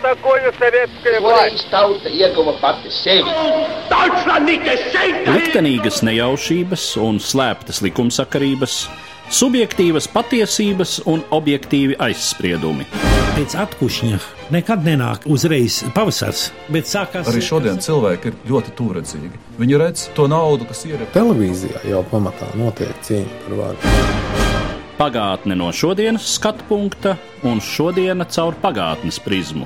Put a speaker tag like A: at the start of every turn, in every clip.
A: такое советская власть?
B: Liktenīgas nejaušības un slēptas likumsakarības, subjektīvas patiesības un objektīvi aizspriedumi.
C: Pēc atkušņa nekad nenāk uzreiz pavasars, bet sākās...
D: Arī šodien cilvēki ir ļoti tūredzīgi. Viņi redz to naudu, kas ir...
E: Televīzijā jau pamatā notiek cīņa par varu.
B: Pagātne no šodienas skatu punkta un šodiena caur pagātnes prizmu.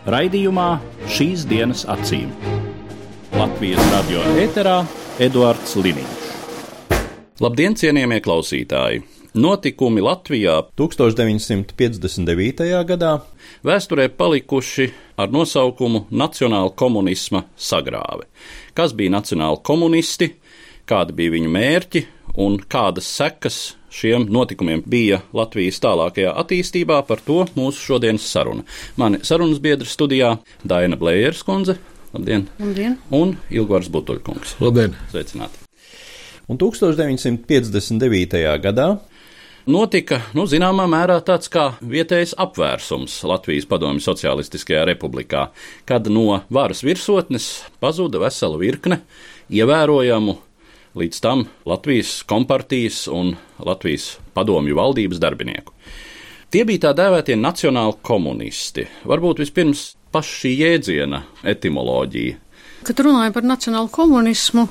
B: Raidījumā Šīs dienas acīm. Latvijas radio ēterā Eduards Liniņš. Labdien, cienījamie klausītāji! Notikumi Latvijā 1959. gadā vēsturē palikuši ar nosaukumu Nacionāla komunisma sagrāve. Kas bija nacionāli komunisti, kādi bija viņu mērķi un kādas sekas šiem notikumiem bija Latvijas tālākajā attīstībā, par to mūsu šodienas saruna. Mani sarunas biedri studijā Daina Blējers kundze, labdien,
F: labdien.
B: Un Ilgvars Butuļkungs.
E: Labdien.
B: Sveicināti.
G: Un 1959. gadā
B: notika, zināmā mērā tāds kā vietējs apvērsums Latvijas Padomju Socialistiskajā republikā, kad no varas virsotnes pazuda vesela virkne ievērojamu līdz tam Latvijas kompartijas un Latvijas padomju valdības darbinieku. Tie bija tā dēvētie nacionāli komunisti. Varbūt vispirms paša šī jēdziena etimoloģija.
F: Kad runājam par nacionālu komunismu,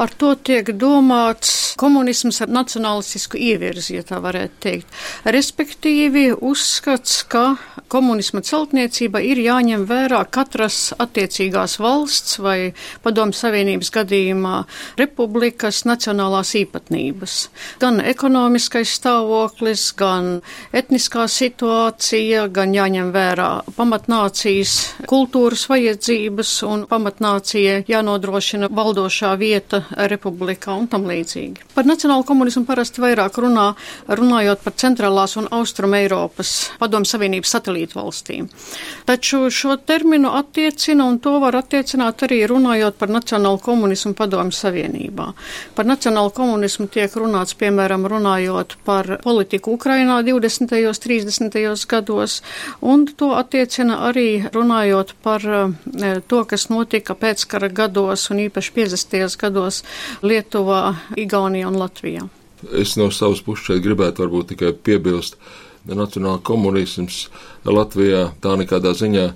F: ar to tiek domāts komunisms ar nacionalistisku ievirzi, ja tā varētu teikt. Respektīvi uzskats, ka komunisma celtniecība ir jāņem vērā katras attiecīgās valsts vai Padomju Savienības gadījumā republikas nacionālās īpatnības. Gan ekonomiskais stāvoklis, gan etniskā situācija, gan jāņem vērā pamatnācijas kultūras vajadzības un pamatnācijas jānodrošina valdošā vieta republikā un tam līdzīgi. Par nacionālu komunismu parasti vairāk runājot par centrālās un austrum Eiropas Padomju Savienības satelītu valstīm. Taču šo terminu attiecina un to var attiecināt arī runājot par nacionālu komunismu Padomju Savienībā. Par nacionālu komunismu tiek runāts, piemēram, runājot par politiku Ukrainā 20. 30. gados, un to attiecina arī runājot par to, kas notika pēckara gados un īpaši 50. gados Lietuvā, Igaunijā un Latvijā.
H: Es no savas puses šeit gribētu varbūt tikai piebilst, nacionāla komunisms Latvijā tā nekādā ziņā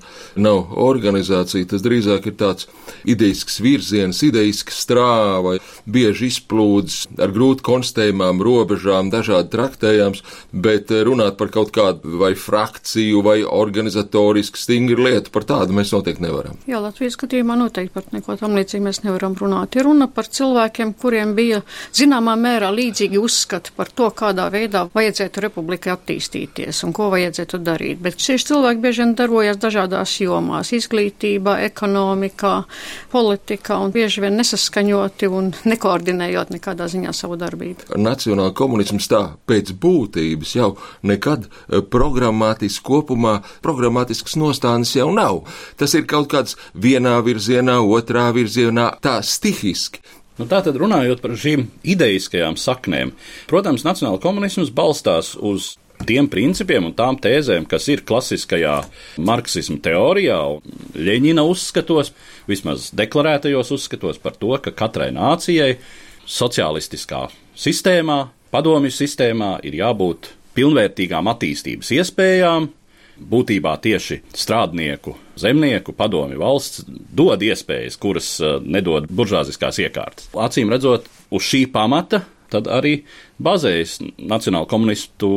H: nav organizācija, tas drīzāk ir tāds ideisks virziens, ideisks strāva, bieži izplūdes ar grūti konstatējumām robežām, dažādi traktējams, bet runāt par kaut kādu vai frakciju vai organizatorisku stingru lietu, par tādu mēs noteikti nevaram.
F: Jā, Latvijas skatījumā noteikti par neko tam līdzīgi mēs nevaram runāt. Ir runa par cilvēkiem, kuriem bija zināmā mērā līdzīgi uzskati par to, kādā veidā vajadzētu republikai attīstīties un ko vajadzētu darīt. Bet šie cilvēki bieži vien darbojas dažādās jomās - izglītībā, ekonomikā, politikā un bieži vien nesaskaņoti un nekoordinējot nekādā ziņā savu darbību.
H: Nacionāla komunisms tā pēc būtības jau nekad programmātiski kopumā, programmātisks nostādnes jau nav. Tas ir kaut kāds vienā virzienā, otrā virzienā, tā stihiski.
B: Tātad runājot par šīm ideiskajām saknēm, protams, nacionāla komunisms balstās uz tiem principiem un tām tēzēm, kas ir klasiskajā marksisma teorijā un Ļeņina uzskatos, vismaz deklarētajos uzskatos par to, ka katrai nācijai socialistiskā sistēmā, padomju sistēmā ir jābūt pilnvērtīgām attīstības iespējām. Būtībā tieši strādnieku, zemnieku, padomju valsts dod iespējas, kuras nedod buržāziskās iekārtas. Acīm redzot, uz šī pamata tad arī bazējas nacionāla komunistu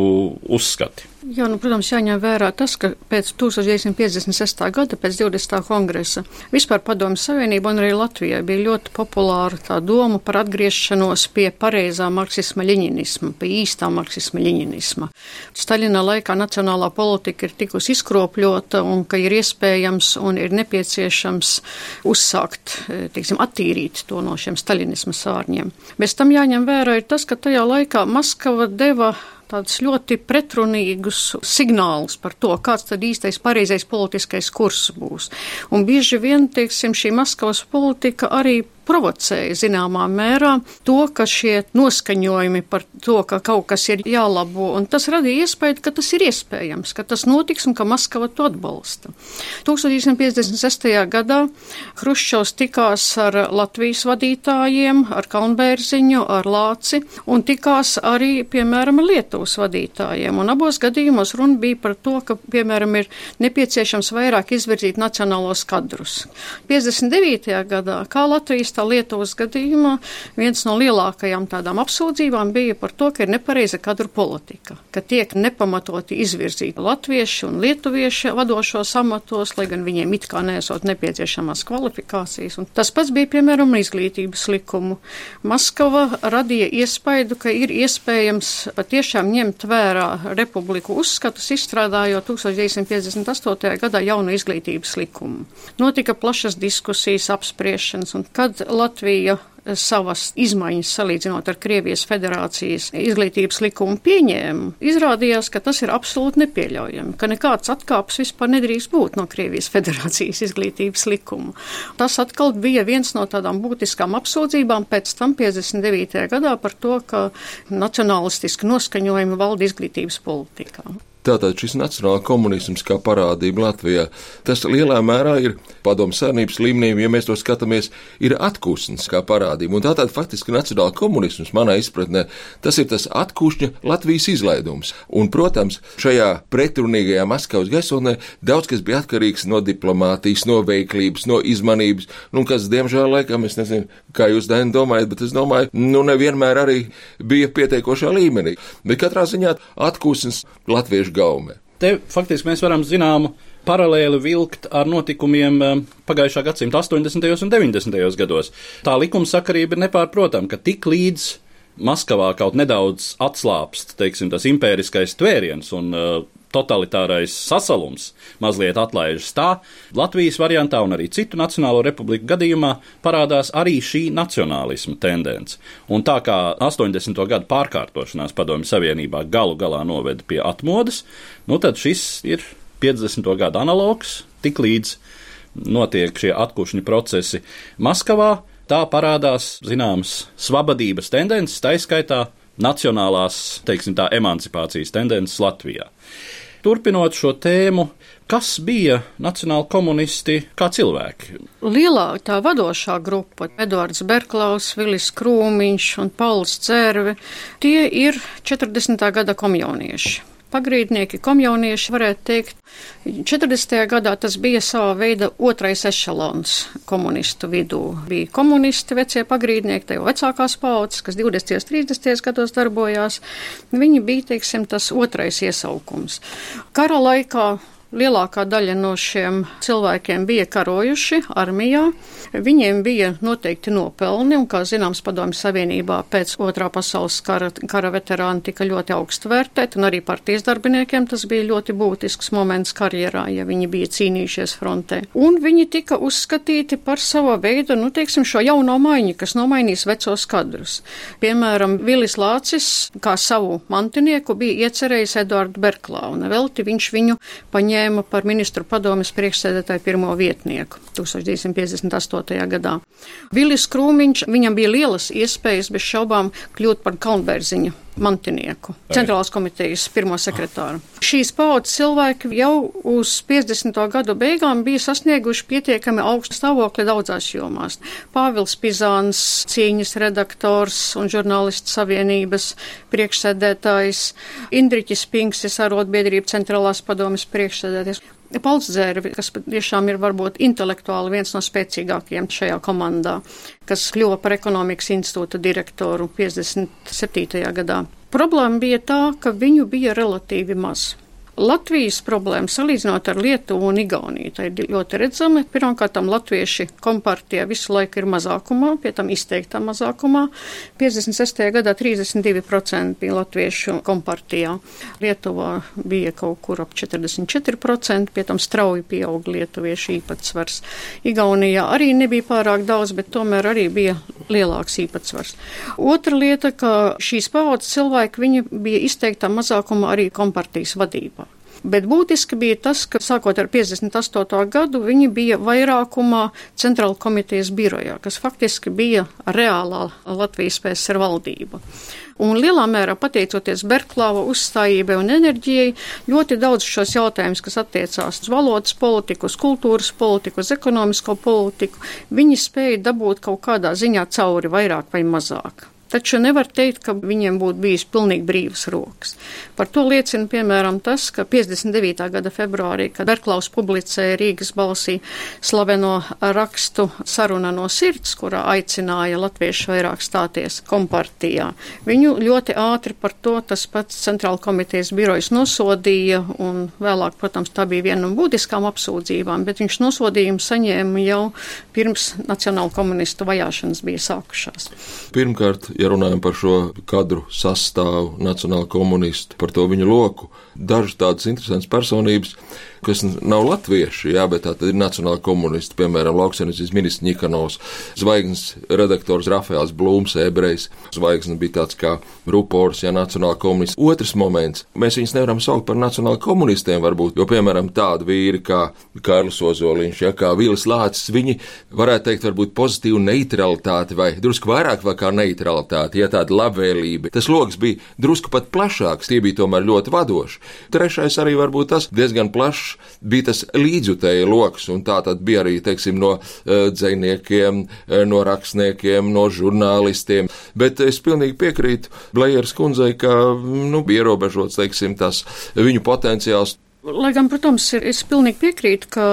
B: uzskati.
F: Jā, protams, jāņem vērā tas, ka pēc 1956. gada, pēc 20. kongresa, vispār Padomju Savienība un arī Latvijā bija ļoti populāra tā doma par atgriešanos pie pareizā marksisma-ļeņinisma, pie īstā marksisma-ļeņinisma. Staļina laikā nacionālā politika ir tikusi izkropļota un ka ir iespējams un ir nepieciešams uzsākt, attīrīt to no šiem staļinisma sārņiem. Bez tam jāņem vērā ir tas, ka tajā laikā Maskava deva tādus ļoti pretrunīgus signālus par to, kāds tad īstais pareizais politiskais kurs būs. Un bieži vien, šī Maskavas politika arī provocēja zināmā mērā to, ka šie noskaņojumi par to, ka kaut kas ir jālabo, un tas radīja iespēju, ka tas ir iespējams, ka tas notiks un ka Maskava to atbalsta. 1956. gadā Hruščovs tikās ar Latvijas vadītājiem, ar Kalnbērziņu, ar Lāci, un tikās arī, piemēram, Lietuvas vadītājiem. Un abos gadījumos runa bija par to, ka, piemēram, ir nepieciešams vairāk izvirzīt nacionālos kadrus. 59. gadā, kā Latvijas tā Lietuvas gadījumā, viens no lielākajām tādām apsūdzībām bija par to, ka ir nepareiza kadru politika, ka tiek nepamatoti izvirzīti latvieši un lietuvieši vadošos amatos, lai gan viņiem it kā nesot nepieciešamās kvalifikācijas. Un tas pats bija, piemēram, izglītības likumu. Maskava radīja iespaidu, ka ir iespējams patiešām ņemt vērā republiku uzskatus, izstrādājot 1958. gadā jaunu izglītības likumu. Notika plašas diskusijas, apspriešanas, un kad Latvija savas izmaiņas salīdzinot ar Krievijas federācijas izglītības likumu pieņēma, izrādījās, ka tas ir absolūti nepieļaujami, ka nekāds atkāps vispār nedrīkst būt no Krievijas federācijas izglītības likuma. Tas atkal bija viens no tādām būtiskām apsūdzībām pēc tam 59. gadā par to, ka nacionalistiski noskaņojumi valda izglītības politikā.
H: Tātad šis nacionāla komunisms kā parādība Latvijā, tas lielā mērā ir padomu savienības līmenī, ja mēs to skatāmies, ir atkūsnes kā parādība. Un tātad faktiski nacionāla komunisms, manā izpratnē, tas ir tas atkūšņa Latvijas izlaidums. Un, protams, šajā pretrunīgajā Maskavas gaisotnē daudz kas bija atkarīgs no diplomātijas, no veiklības, no izmanības, kas, diemžēl, laikam, es nezinu, kā jūs, Daini, domājat, bet es domāju, nevienmēr arī bija pietiekošā līmenī. Bet katrā ziņā atkūsnes latviešu gaume.
B: Te faktiski mēs varam zināmu paralēli vilkt ar notikumiem pagājušā gadsimta 80. un 90. gados. Tā likumsakarība ir nepārprotama, ka tik līdz Maskavā kaut nedaudz atslāpst, teiksim, tas impēriskais tvēriens un totalitārais sasalums mazliet atlaižas tā, Latvijas variantā un arī citu nacionālo republiku gadījumā parādās arī šī nacionālisma tendence. Un tā kā 80. gadu pārkārtošanās Padomju Savienībā galu galā noveda pie atmodas, tad šis ir 50. gadu analogs, tik līdz notiek šie atkušņu procesi Maskavā, tā parādās, zināmas, svabadības tendences, taiskaitā nacionālās, teiksim tā, emancipācijas tendences Latvijā. Turpinot šo tēmu, kas bija nacionāli komunisti kā cilvēki?
F: Lielā tā vadošā grupa, Eduards Berklaus, Vilis Krūmiņš un Pauls Dzērve, tie ir 40. gada komjaunieši. Pagrīdnieki, komjaunieši, varētu teikt, 40. gadā tas bija savā veida otrais ešalons komunistu vidū. Bija komunisti, vecie pagrīdnieki, tā jau vecākās paudzes, kas 20. 30. gados darbojās. Viņi bija, teiksim, tas otrais iesaukums. Kara laikā lielākā daļa no šiem cilvēkiem bija karojuši armijā. Viņiem bija noteikti nopelni, un, kā zināms, Padomju Savienībā pēc Otrā pasaules kara veterāni tika ļoti augstu vērtēti, un arī partijas darbiniekiem tas bija ļoti būtisks moments karjerā, ja viņi bija cīnījušies frontē. Un viņi tika uzskatīti par sava veida, teiksim, šo jauno maiņu, kas nomainīs vecos kadrus. Piemēram, Vilis Lācis, kā savu mantinieku, bija iecerējis Eduardu Berklau, un velti viņš viņu paņēma par ministru padomes priekšsēdētāju pirmo vietnieku 1958. gadā. Vilis Krūmiņš, viņam bija lielas iespējas bez šaubām kļūt par Kalnbērziņa mantinieku, centrālās komitejas pirmo sekretāru. Šīs paudzes cilvēki jau uz 50. gadu beigām bija sasnieguši pietiekami augstu stāvokli daudzās jomās. Pāvils Pizāns, cīņas redaktors un žurnālistu savienības priekšsēdētājs, Indriķis Pinksis, arotbiedrība centrālās padomes priekšsēdētājs. Pauls Dzērve, kas tiešām ir varbūt intelektuāli viens no spēcīgākajiem šajā komandā, kas kļuva par ekonomikas institūta direktoru 57. gadā. Problēma bija tā, ka viņu bija relatīvi maz. Latvijas problēma, salīdzinot ar Lietuvu un Igauniju, tā ir ļoti redzama. Pirmkārt, latvieši kompartijā visu laiku ir mazākumā, pie tam izteiktā mazākumā. 56. gadā 32% bija latviešu kompartijā. Lietuvā bija kaut kur ap 44%, pie tam strauji pieauga lietuviešu īpatsvars. Igaunijā arī nebija pārāk daudz, bet tomēr arī bija lielāks īpatsvars. Otra lieta, ka šīs paudzes cilvēki, viņi bija izteiktā mazākumā arī kompartijas vadībā. Bet būtiski bija tas, ka sākot ar 58. gadu viņi bija vairākumā Centrāla komitejas birojā, kas faktiski bija reālā Latvijas PSR valdība. Un lielā mērā pateicoties Berklāva uzstājībai un enerģijai, ļoti daudz šos jautājumus, kas attiecās uz valodas politiku, uz kultūras politiku, uz ekonomisko politiku, viņi spēja dabūt kaut kādā ziņā cauri vairāk vai mazāk. Taču nevar teikt, ka viņiem būtu bijis pilnīgi brīvas rokas. Par to liecina, piemēram, tas, ka 59. gada februārī, kad Berklaus publicēja Rīgas balsī slaveno rakstu Saruna no sirds, kurā aicināja latviešu vairāk stāties kompartijā, viņu ļoti ātri par to tas pats Centrāla komitejas birojas nosodīja, un vēlāk, protams, tā bija viena no būtiskām apsūdzībām, bet viņš nosodījumu saņēma jau pirms nacionāla komunistu vajāšanas bija sākušās.
H: Pirmkārt, ja runājam par šo kadru sastāvu, nacionāla komunistu, par to viņu loku, dažas tādas interesantas personības, kas nav latvieši, jā, bet tā tad ir nacionāla komunisti, piemēram, lauksaimniecības ministrs Ņikanovs, Zvaigznes redaktors Rafaels Blūms, ebrejs, Zvaigznes bija tāds kā rupors, jā, nacionāla komunists. Otrs moments, mēs viņus nevaram saukt par nacionāla komunistiem varbūt, jo, piemēram, tādi vīri kā Kārlis Ozoliņš, jā, kā Vilis Lācis, viņi varētu teikt varbūt pozitīvu neutralitāti vai drusku vairāk vai kā neutralitāti, ja tāda labvēlība. Tas loks bija drusku pat plašāks, tie bija tomēr ļoti vadoši. Trešais arī varbūt tas diezgan plašs bija tas līdzjutēja loks, un tā tad bija arī, teiksim, no dzejniekiem, no rakstniekiem, no žurnālistiem. Bet es pilnīgi piekrītu Blejeras kundzei, ka, bija ierobežots, teiksim, tas viņu potenciāls.
F: Lai gan, protams, es pilnīgi piekrītu, ka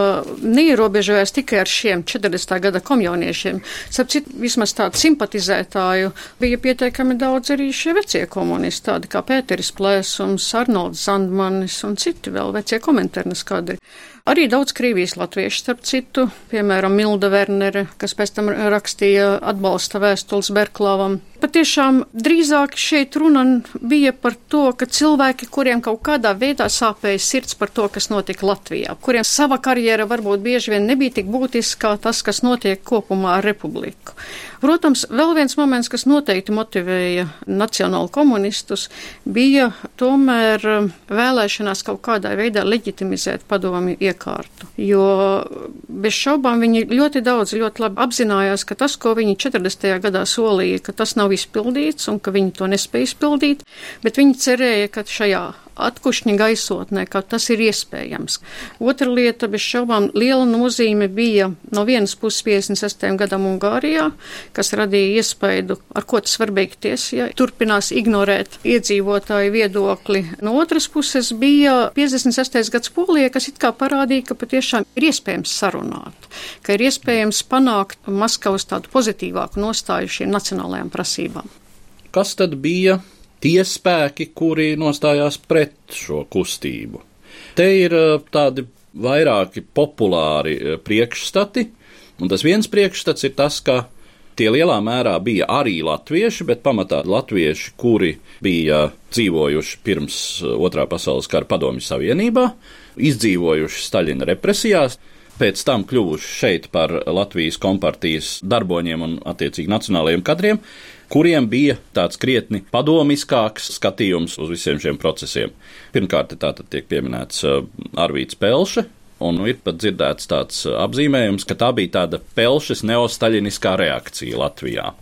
F: neierobežojās tikai ar šiem 40. gada komjauniešiem. Sapcīt, vismaz tādu simpatizētāju bija pietiekami daudz arī šie vecie komunisti, tādi kā Pēteris Plēsums, Arnolds Zandmanis un citi vēl vecie komentārnes kadri. Arī daudz Krievijas latviešu, starp citu, piemēram, Milda Vernere, kas pēc tam rakstīja atbalsta vēstules Berklāvam. Patiešām drīzāk šeit runa bija par to, ka cilvēki, kuriem kaut kādā veidā sāpēja sirds par to, kas notika Latvijā, kuriem sava karjera varbūt bieži vien nebija tik būtiska kā tas, kas notiek kopumā ar republiku. Protams, vēl viens moments, kas noteikti motivēja nacionālu komunistus, bija tomēr vēlēšanās kaut kādā veidā leģitimizēt padomju iekārtu. Jo bez šaubām viņi ļoti daudz, ļoti labi apzinājās, ka tas, ko viņi 40. gadā solīja, ka tas nav izpildīts un ka viņi to nespēja izpildīt, bet viņi cerēja, ka šajā atkušņa gaisotnē, ka tas ir iespējams. Otra lieta, bez šaubām, liela nozīme bija no vienas puses 56. gadam Ungārijā, kas radīja iespaidu, ar ko tas var beigties, ja turpinās ignorēt iedzīvotāju viedokli. No otras puses bija 56. gads Polijā, kas it kā parādīja, ka patiešām ir iespējams sarunāt, ka ir iespējams panākt Maskavas tādu pozitīvāku nostāju šīm nacionālajām prasībām.
B: Kas tad bija tie spēki, kuri nostājās pret šo kustību? Te ir tādi vairāki populāri priekšstati, un tas viens priekšstats ir tas, ka tie lielā mērā bija arī latvieši, bet pamatā latvieši, kuri bija dzīvojuši pirms Otrā pasaules kara Padomju Savienībā, izdzīvojuši Staļina represijās, pēc tam kļuvuši šeit par Latvijas kompartijas darboņiem un attiecīgi nacionālajiem kadriem, kuriem bija tāds krietni padomiskāks skatījums uz visiem šiem procesiem. Pirmkārt, tātad tiek pieminēts Arvīds Pelše, un ir pat dzirdēts tāds apzīmējums, ka tā bija tāda Pelšes neostaļiniskā reakcija Latvijā,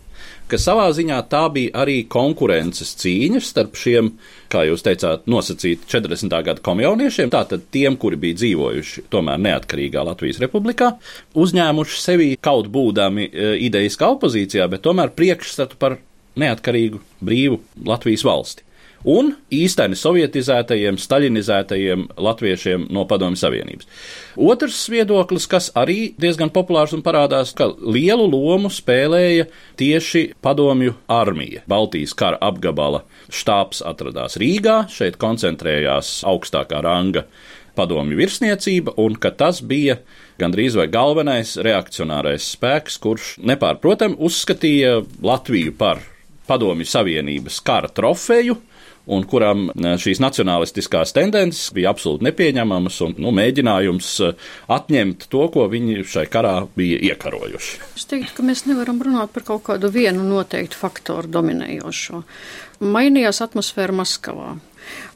B: ka savā ziņā tā bija arī konkurences cīņas starp šiem, kā jūs teicāt, nosacīt 40. gada komjauniešiem, tātad tiem, kuri bija dzīvojuši tomēr neatkarīgā Latvijas republikā, uzņēmuši sevi kaut būdami ideiskā opozīcijā, bet tomēr priekšstatu par neatkarīgu, brīvu Latvijas valsti. Un īsteni sovietizētajiem, staļinizētajiem latviešiem no Padomju Savienības. Otrs viedoklis, kas arī diezgan populārs un parādās, ka lielu lomu spēlēja tieši Padomju armija. Baltijas kara apgabala štābs atradās Rīgā, šeit koncentrējās augstākā ranga padomju virsniecība, un ka tas bija gandrīz vai galvenais reakcionārais spēks, kurš nepārprotam uzskatīja Latviju par Padomju Savienības kara trofeju, un kuram šīs nacionalistiskās tendences bija absolūti nepieņemamas un mēģinājums atņemt to, ko viņi šai karā bija iekarojuši.
F: Es teiktu, ka mēs nevaram runāt par kaut kādu vienu noteiktu faktoru dominējošo. Mainījās atmosfēra Maskavā.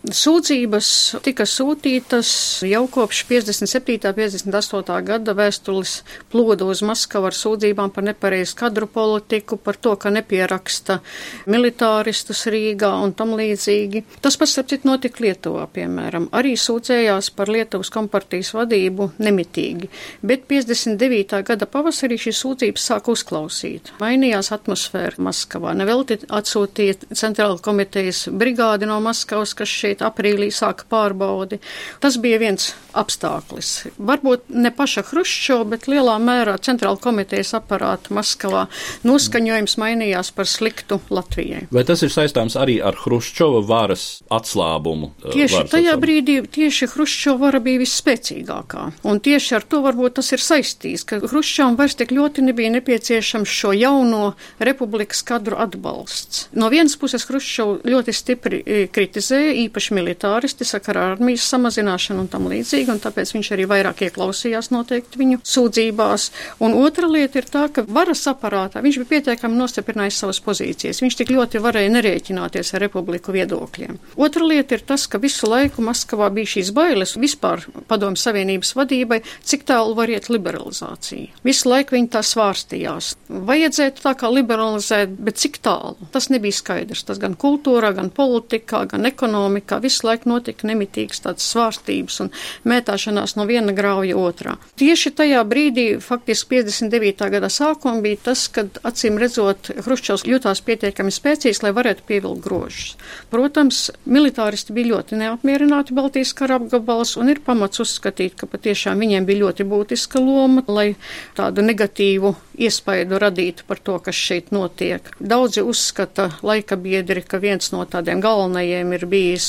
F: Sūdzības tika sūtītas jau kopš 57. 58. gada vēstules ploda uz Maskavu ar sūdzībām par nepareizu kadru politiku, par to, ka nepieraksta militāristus Rīgā un tam līdzīgi. Tas pats, starp citu, notika Lietuvā, piemēram. Arī sūdzējās par Lietuvas kompartijas vadību nemitīgi, bet 59. gada pavasarī šīs sūdzības sāk uzklausīt. Mainījās atmosfēra Maskavā. Nevelti atsūtīja Centrāla komitejas brigādi no Maskavas, kas šeit aprīlī sāka pārbaudi. Tas bija viens apstākļis. Varbūt ne paša Hruščova, bet lielā mērā Centrāla komitejas aparāta Maskavā noskaņojums mainījās par sliktu Latvijai.
B: Vai tas ir saistāms arī ar Hruščova varas atslābumu?
F: Tieši tajā brīdī tieši Hruščova vara bija visspēcīgākā. Un tieši ar to varbūt tas ir saistīts, ka Hruščovam vairs tik ļoti nebija nepieciešams šo jauno republikas kadru atbalsts. No vienas puses Hruščovu ļoti stipri kritizēja, īpaši militāristi sakarā ar armijas samazināšanu un tam līdzīgi, un tāpēc viņš arī vairāk ieklausījās noteikti viņu sūdzībās. Un otra lieta ir tā, ka varas aparātā viņš bija pietiekami nostiprinājis savas pozīcijas. Viņš tik ļoti varēja nerēķināties ar republiku viedokļiem. Otra lieta ir tas, ka visu laiku Maskavā bija šīs bailes vispār Padomju Savienības vadībai, cik tālu var iet liberalizācija. Visu laiku viņi tā svārstījās. Vajadzētu tā kā liberalizēt, bet cik tālu? Tas nebija skaidrs. Tas gan kultūrā, gan politikā, gan ekonomikā visu laiku notika nemitīgas tādas svārstības un mētāšanās no viena grauja otrā. Tieši tajā brīdī, faktiski 59. gada sākumā, bija tas, kad acīm redzot Hruščovs jutās pietiekami spēcīgs, lai varētu pievilkt grožus. Protams, militāristi bija ļoti neapmierināti Baltijas kara apgabalas un ir pamats uzskatīt, ka patiešām viņiem bija ļoti būtiska loma, lai tādu negatīvu iespaidu radītu par to, kas šeit notiek. Daudzi uzskata laika biedri, ka viens no tādiem galvenajiem ir bijis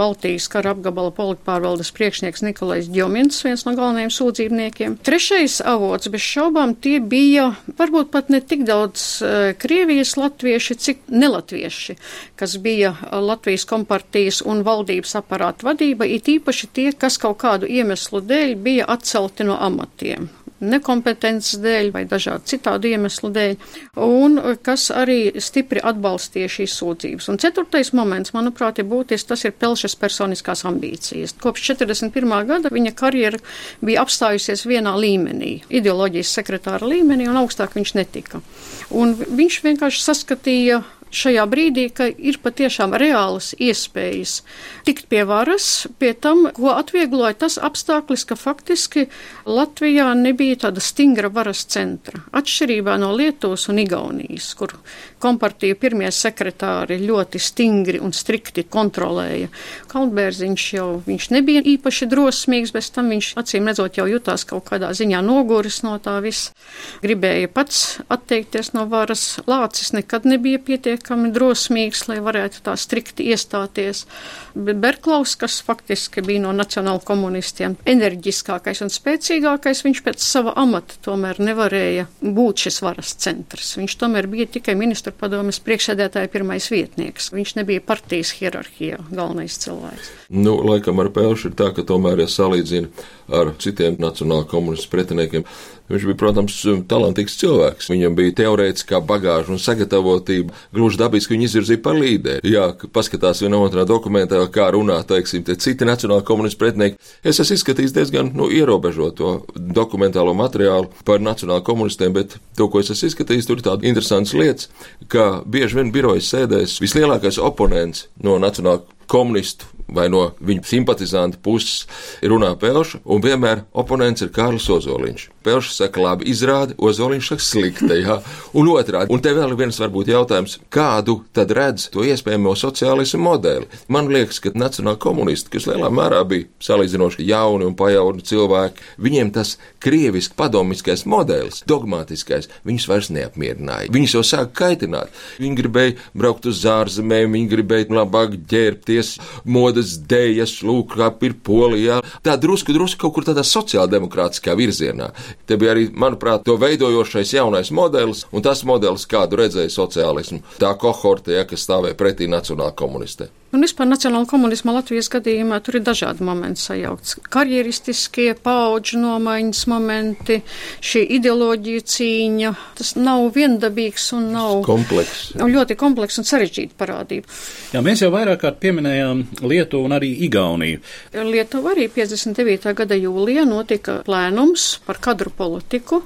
F: Baltijas kara apgabala politpārvaldes priekšnieks Nikolais Djomins, viens no galvenajiem sūdzībniekiem. Trešais avots, bez šaubām, tie bija varbūt pat ne tik daudz Krievijas latvieši, cik nelatvieši, kas bija Latvijas kompartijas un valdības aparāta vadība, it īpaši tie, kas kaut kādu iemeslu dēļ bija atcelti no amatiem. Nekompetences dēļ vai dažādu citādu iemeslu dēļ, un kas arī stipri atbalstīja šīs sūdzības. Un ceturtais moments, manuprāt, ir būtisks, tas ir Pelšas personiskās ambīcijas. Kopš 41. gada viņa karjera bija apstājusies vienā līmenī, ideoloģijas sekretāra līmenī, un augstāk viņš netika. Un viņš vienkārši saskatīja šajā brīdī, ka ir patiešām reālas iespējas tikt pie varas, pie tam, ko atviegloja tas apstākļis, ka faktiski Latvijā nebija tāda stingra varas centra. Atšķirībā no Lietuvas un Igaunijas, kur kompartiju pirmie sekretāri ļoti stingri un strikti kontrolēja. Kaldbērziņš viņš nebija īpaši drosmīgs, bez tam viņš acīm redzot jau jutās kaut kādā ziņā noguris no tā viss. Gribēja pats atteikties no varas. Lācis nekad nebija pietiekami drosmīgs, lai varētu tā strikti iestāties. Bet Berklaus, kas faktiski bija no nacionāla komunistiem enerģiskākais un spēcīgākais, viņš pēc sava amata tomēr nevarēja būt šis varas centrs. Viņš tomēr bija tikai ministru padomes priekšsēdētāja pirmais vietnieks. Viņš nebija partijas hierarhijā galvenais cilvēks.
H: Laikam ar Pelšu ir tā, ka tomēr, ja salīdzina ar citiem nacionāla komunistu pretiniekiem, viņš bija, protams, talantīgs cilvēks. Viņam bija teorētiskā bagāža un sagatavotība. Gluži dabiski viņu izvirzīja par līderi. Jā, paskatās vienā otrā dokumentā, kā runā, teiksim, te citi nacionāla komunistu pretinieki. Es esmu izskatījis diezgan ierobežoto dokumentālo materiālu par nacionāla komunistiem, bet to, ko es esmu izskatījis, tur ir tādas interesantas lietas, ka bieži vien birojas sēdēs vislielākais oponents no nacionāla komunistu vai no viņu simpatizantu puses runā Pelša, un vienmēr oponents ir Kārlis Ozoliņš. Pelša saka labi izrādi, Ozoliņš saka slikta, jā, un otrādi. Un te vēl viens varbūt jautājums, kādu tad redz to iespējamo sociālismu modeli? Man liekas, ka nacionāli komunisti, kas lielā mērā bija salīdzinoši jauni un pajauni cilvēki, viņiem tas krieviski padomiskais modelis, dogmatiskais, viņus vairs neapmierināja. Viņus jau sāk kaitināt. Viņi gribēja braukt uz ārzemēm, viņi gribēja labāk ģērbties, modas dējas, lūk, kā ir Polijā. Tā drusku kaut kur tādā sociāldemokrātiskā virzienā. Te bija arī, manuprāt, to veidojošais jaunais modelis, un tas modelis, kādu redzēja sociālismu, tā kohorte, kas stāvēja pretī nacionāla komunistē.
F: Un vispār nacionāla komunisma Latvijas gadījumā tur ir dažādi momenti sajaukts. Karjeristiskie, paudžu nomaiņas momenti, šī ideoloģija cīņa. Tas nav viendabīgs un nav
H: komplekss.
F: Ļoti komplekss un sarežģīta parādība.
B: Jā, mēs jau vairāk kārt pieminējām Lietuvu un arī Igauniju.
F: Lietuva arī 59. gada jūlijā notika plēnums par kadru politiku.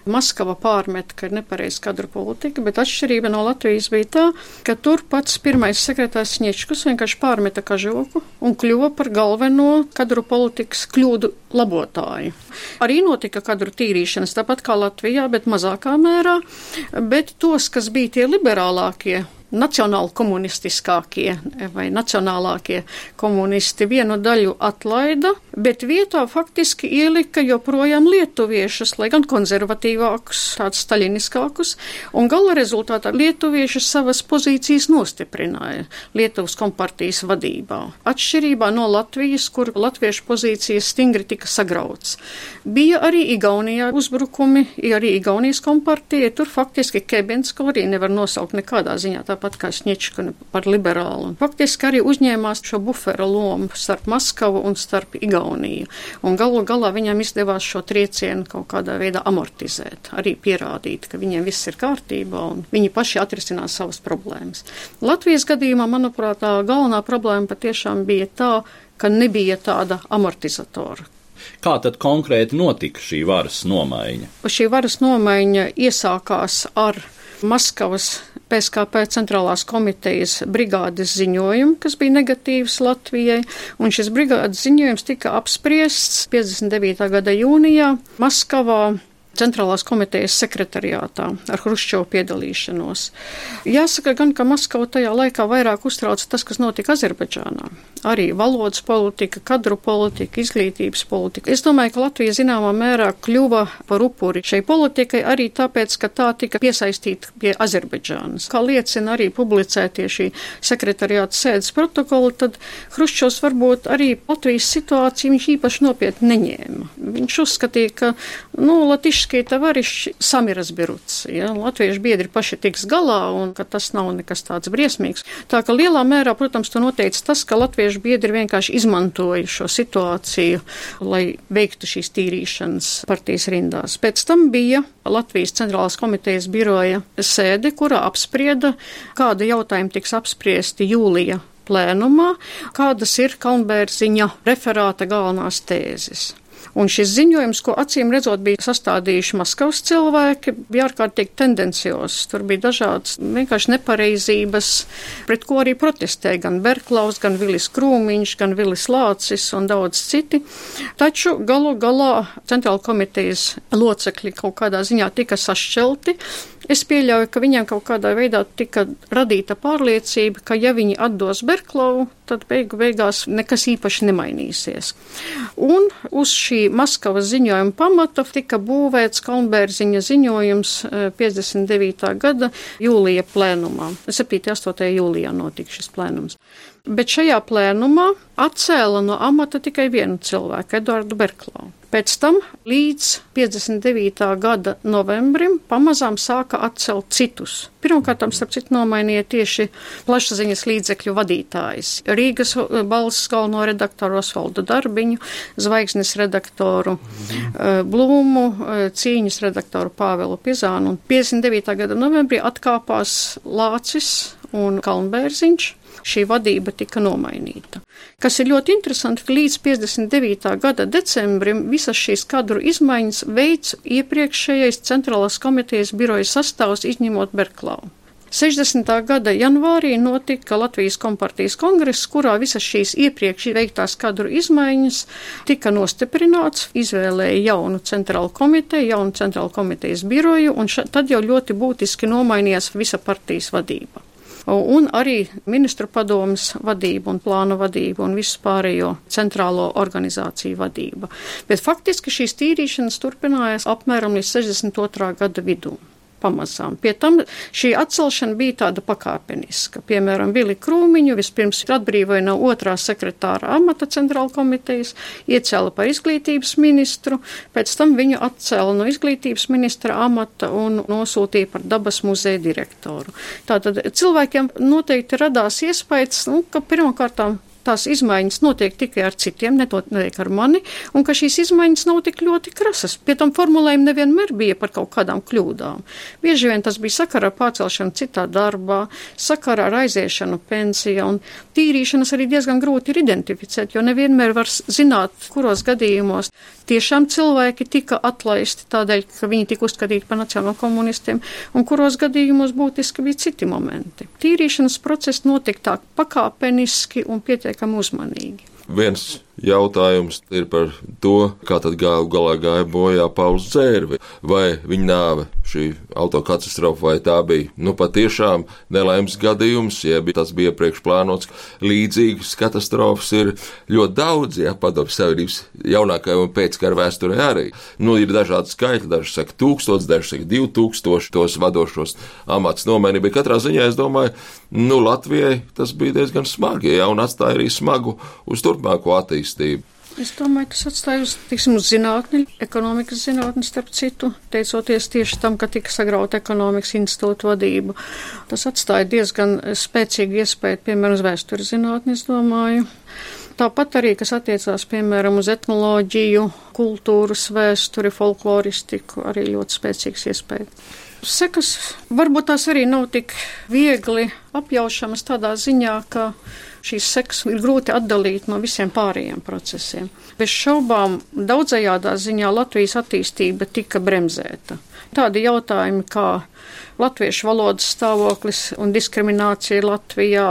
F: Maskava pārmet, ka ir nepareiz kadru politika, bet atšķirība no Latvijas bija tā, ka tur pats pirmais sekretārs Sniečkus vienkārši pārmeta kažoku un kļuva par galveno kadru politikas kļūdu labotāju. Arī notika kadru tīrīšanas, tāpat kā Latvijā, bet mazākā mērā, bet tos, kas bija tie liberālākie, nacionāli komunistiskākie vai nacionālākie komunisti vienu daļu atlaida, bet vietā faktiski ielika joprojām lietuviešus, lai gan konservatīvākus, tādus staļiniskākus, un gala rezultātā lietuvieši savas pozīcijas nostiprināja Lietuvas kompartijas vadībā. Atšķirībā no Latvijas, kur latviešu pozīcijas stingri tika sagrauts. Bija arī Igaunijā uzbrukumi, arī Igaunijas kompartija, tur faktiski Kebinsko arī nevar nosaukt nekādā ziņā, tāpat kā Sniečka par liberālu. Un faktiski arī uzņēmās šo bufera lomu starp Maskavu un starp Igauniju. Un galu galā viņam izdevās šo triecienu kaut kādā veidā amortizēt, arī pierādīt, ka viņiem viss ir kārtībā un viņi paši atrisinās savas problēmas. Latvijas gadījumā, manuprāt, tā galvenā problēma patiešām bija tā, ka nebija tāda amortizatora.
B: Kā tad konkrēti notika šī varas nomaiņa?
F: Šī varas nomaiņa iesākās ar Maskavas PSKP centrālās komitejas brigādes ziņojumu, kas bija negatīvs Latvijai, un šis brigādes ziņojums tika apspriests 59. gada jūnijā Maskavā centrālās komitejas sekretariātā ar Hruščovu piedalīšanos. Jāsaka gan, ka Maskava tajā laikā vairāk uztrauca tas, kas notika Azerbaidžānā. Arī valodas politika, kadru politika, izglītības politika. Es domāju, ka Latvija zināmā mērā kļuva par upuri šai politikai arī tāpēc, ka tā tika piesaistīta pie Azerbaidžānas. Kā liecina arī publicētie šī sekretariāta sēdes protokoli, tad Hruščovs varbūt arī Latvijas situāciju viņš īpaši nopietni neņēma. Viņš uzskatīja, ka, latišskie tavariši sami разберутся, ja, latviešu biedri paši tiks galā un ka tas nav nekas tāds briesmīgs. Tā ka lielā mērā, protams, to noteica tas, ka latviešu biedri vienkārši izmantoja šo situāciju, lai veiktu šīs tīrīšanas partijas rindās. Pēc tam bija Latvijas centrālās komitejas biroja sēde, kurā apsprieda, kāda jautājuma tiks apspriesti jūlija plēnumā, kādas ir Kalnbērziņa referāta galvenās tēzes. Un šis ziņojums, ko acīm redzot bija sastādījuši Maskavas cilvēki, bija ārkārtīgi tendencios. Tur bija dažādas vienkārši nepareizības, pret ko arī protestēja gan Berklaus, gan Vilis Krūmiņš, gan Vilis Lācis un daudz citi. Taču galu galā centrāla komitejas locekļi kaut kādā ziņā tika sašķelti. Es pieļauju, ka viņiem kaut kādā veidā tika radīta pārliecība, ka ja viņi atdos Berklau, tad beigās nekas īpaši nemainīsies. Un uz šī Maskavas ziņojuma pamata tika būvēts Kalnbērziņa ziņojums 59. gada jūlija plēnumā. 7.8. jūlijā notika šis plēnums. Bet šajā plēnumā atcēla no amata tikai vienu cilvēku, Eduardu Berklau. Pēc tam līdz 59. gada novembrim pamazām sāka atcelt citus. Pirmkārt, starp citu, nomainīja tieši plašsaziņas līdzekļu vadītājs. Rīgas balss galveno redaktoru Osvaldu Darbiņu, Zvaigznes redaktoru Blūmu, Cīņas redaktoru Pāvelu Pizānu. Un 59. gada novembrī atkāpās Lācis un Kalnbērziņš. Šī vadība tika nomainīta. Kas ir ļoti interesanti, ka līdz 59. gada decembrim visas šīs kadru izmaiņas veids iepriekšējais centrālās komitejas biroja sastāvs izņemot Berklau. 60. gada janvārī notika Latvijas kompartijas kongress, kurā visas šīs iepriekš veiktās kadru izmaiņas tika nostiprināts, izvēlēja jaunu centrālu komiteju, jaunu centrālu komitejas biroju, un tad jau ļoti būtiski nomainījās visa partijas vadība. Un arī ministru padomes vadība un plānu vadība un visu pārējo centrālo organizāciju vadība. Bet faktiski šīs tīrīšanas turpinājās apmēram līdz 62. gada vidū. pamazām. Pie tam šī atcelšana bija tāda pakāpeniska. Piemēram, Vili Krūmiņu vispirms atbrīvoja no 2. sekretāra amata centrāla komitejas, iecēla par izglītības ministru, pēc tam viņu atcēla no izglītības ministra amata un nosūtīja par dabas muzeja direktoru. Tātad cilvēkiem noteikti radās iespējas, ka pirmkārtām tās izmaiņas notiek tikai ar citiem, nenotiek ar mani, un ka šīs izmaiņas nav tik ļoti krasas. Pie tam formulējumi nevienmēr bija par kaut kādām kļūdām. Bieži vien tas bija sakarā ar pārcelšanu citā darbā, sakarā ar aiziešanu pensijā, un tīrīšanas arī diezgan grūti ir identificēt, jo nevienmēr var zināt, kuros gadījumos tiešām cilvēki tika atlaisti tādēļ, ka viņi tika uzskatīti par nacionālo komunistiem, un kuros gadījumos būtiski bija citi momenti. Tīrīšanas process notika tā pakāpeniski un pietiekami uzmanīgi.
H: Viens jautājums ir par to, kā tad galā gāja bojā Pauls Dzērve. Vai viņa nāve, šī autokatastrofa, vai tā bija patiešām nelaimes gadījums, jeb tas bija iepriekš plānots. Līdzīgas katastrofas ir ļoti daudz, Padomju Savienības jaunākajā un pēckara vēsturē arī. Ir dažādi skaitļi, daži saka 1000, daži saka 2000 tos vadošos amats nomainīja, bet katrā ziņā es domāju, Latvijai tas bija diezgan smagi, un atstāja arī smagu uz turpmāko attīstību.
F: Es domāju, tas atstāja uz zinātni, ekonomikas zinātni, starp citu, teicoties tieši tam, ka tika sagrauta ekonomikas institūta vadība. Tas atstāja diezgan spēcīgu iespēju, piemēram, uz vēstures zinātni, es domāju. Tāpat arī, kas attiecās, piemēram, uz etnoloģiju, kultūras vēsturi, folkloristiku, arī ļoti spēcīgs iespēja. Sekas varbūt tās arī nav tik viegli apjaušamas tādā ziņā, ka šīs sekas ir grūti atdalīt no visiem pārējiem procesiem. Bez šaubām daudzajādā ziņā Latvijas attīstība tika bremzēta. Tādi jautājumi kā latviešu valodas stāvoklis un diskriminācija Latvijā,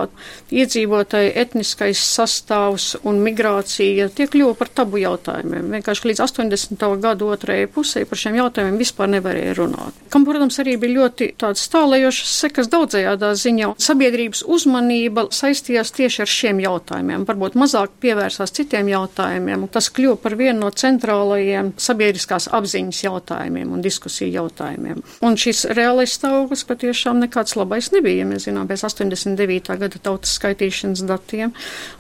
F: iedzīvotāju etniskais sastāvs un migrācija, tie kļuva par tabu jautājumiem. Vienkārši līdz 80. gadu otrajai pusē par šiem jautājumiem vispār nevarēja runāt. Kam, protams, arī bija ļoti tāds tālējošas sekas daudzajādā ziņā. Sabiedrības uzmanība saistījās tieši ar šiem jautājumiem, varbūt mazāk pievērsās citiem jautājumiem. Tas kļuva par vienu no centrālajiem sabiedriskās apziņas jautājumiem un diskusiju jautājumiem. Un šis reālais stāvoklis patiešām nekāds labais nebija. Ja mēs zinām, pēc 89. gada tautas skaitīšanas datiem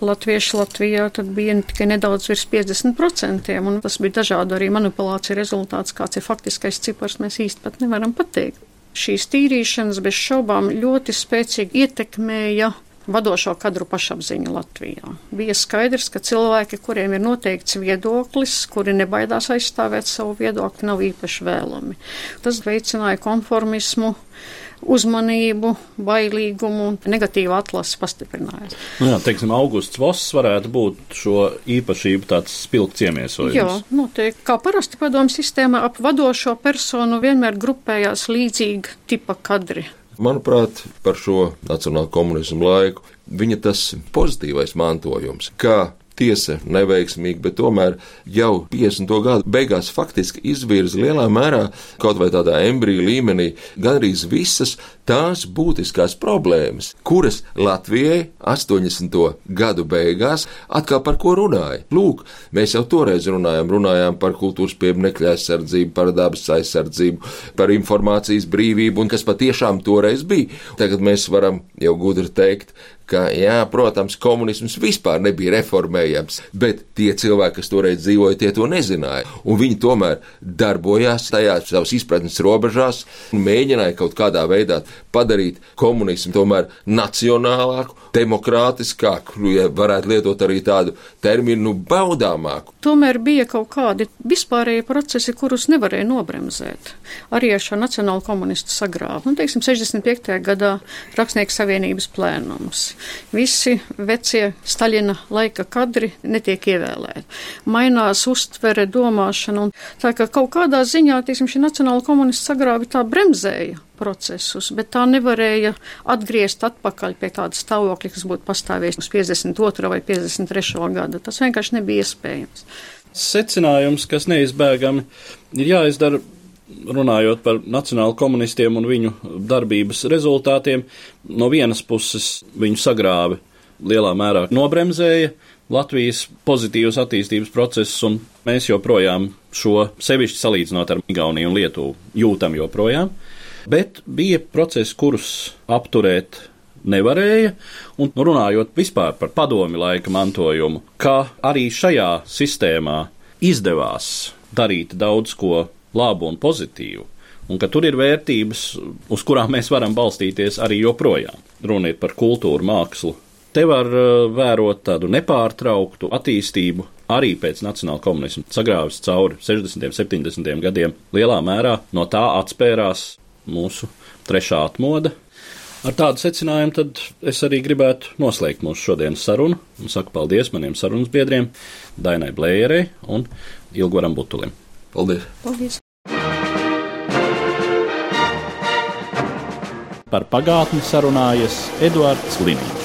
F: latvieši Latvijā tad bija tikai nedaudz virs 50%, un tas bija dažādu arī manipulāciju rezultāts, kāds ir faktiskais cipars, mēs īsti pat nevaram pateikt. Šīs tīrīšanas bez šaubām ļoti spēcīgi ietekmēja vadošo kadru pašapziņu Latvijā. Bija skaidrs, ka cilvēki, kuriem ir noteikts viedoklis, kuri nebaidās aizstāvēt savu viedokli, nav īpaši vēlami. Tas veicināja konformismu, uzmanību, bailīgumu un negatīvu atlasi pastiprinājās.
B: Teiksim, Augusts Voss varētu būt šo īpašību tāds spilgts iemiesojums.
F: Jā, noteikti. Kā parasti padomu sistēmā ap vadošo personu vienmēr grupējās līdzīga tipa kadri.
H: Manuprāt, par šo nacionālo komunismu laiku viņa tas pozitīvais mantojums, kā tiesa neveiksmīgi, bet tomēr jau 50. gadu beigās faktiski izvirza lielā mērā, kaut vai tādā embriju līmenī, gandrīz visas tās būtiskās problēmas, kuras Latvijai 80. gadu beigās atkal par ko runāja. Lūk, mēs jau toreiz runājām par kultūras pieminekļu aizsardzību, par dabas aizsardzību, par informācijas brīvību, un kas patiešām toreiz bija. Tagad mēs varam jau gudri teikt, ka, jā, protams, komunisms vispār nebija reformējams, bet tie cilvēki, kas toreiz dzīvoja, tie to nezināja. Un viņi tomēr darbojās tajā savas izpratnes robežās un mēģināja kaut kādā veidā padarīt komunismu tomēr nacionālāku, demokrātiskāku, ja varētu lietot arī tādu terminu baudāmāku.
F: Tomēr bija kaut kādi vispārēji procesi, kurus nevarēja nobremzēt. Arī ar šo nacionālu komunistu sagrāvu. 65. gadā Rakstnieku savienības plēnums. Visi vecie Staļina laika kadri netiek ievēlēti. Mainās uztvere, domāšana, un tā kā kaut kādā ziņā, šī nacionāla komunista sagrāvi tā bremzēja procesus, bet tā nevarēja atgriezt atpakaļ pie tāda stāvokļa, kas būtu pastāvējis uz 52. vai 53. gada. Tas vienkārši nebija iespējams.
B: Secinājums, kas neizbēgami ir jāizdara, runājot par nacionālu komunistiem un viņu darbības rezultātiem, no vienas puses viņu sagrāvi lielā mērā nobremzēja Latvijas pozitīvas attīstības procesus, un mēs joprojām šo, sevišķi salīdzinot ar Igauniju un Lietuvu, jūtam joprojām. bet bija procesi, kurus apturēt nevarēja, un runājot vispār par padomi laika mantojumu, ka arī šajā sistēmā izdevās darīt daudz ko labu un pozitīvu, un ka tur ir vērtības, uz kurām mēs varam balstīties arī joprojām. Runa ir par kultūru, mākslu. Te var vērot tādu nepārtrauktu attīstību, arī pēc nacionāla komunisma sagrāvis cauri 60. un 70. gadiem. Lielā mērā no tā atspērās mūsu trešā atmoda. Ar tādu secinājumu tad es arī gribētu noslēgt mūsu šodienas sarunu un saku paldies maniem sarunas biedriem Dainai Blējerei un Ilgoram Butulim.
H: Paldies!
F: Paldies!
B: Par pagātni sarunājas Eduards Liniņš.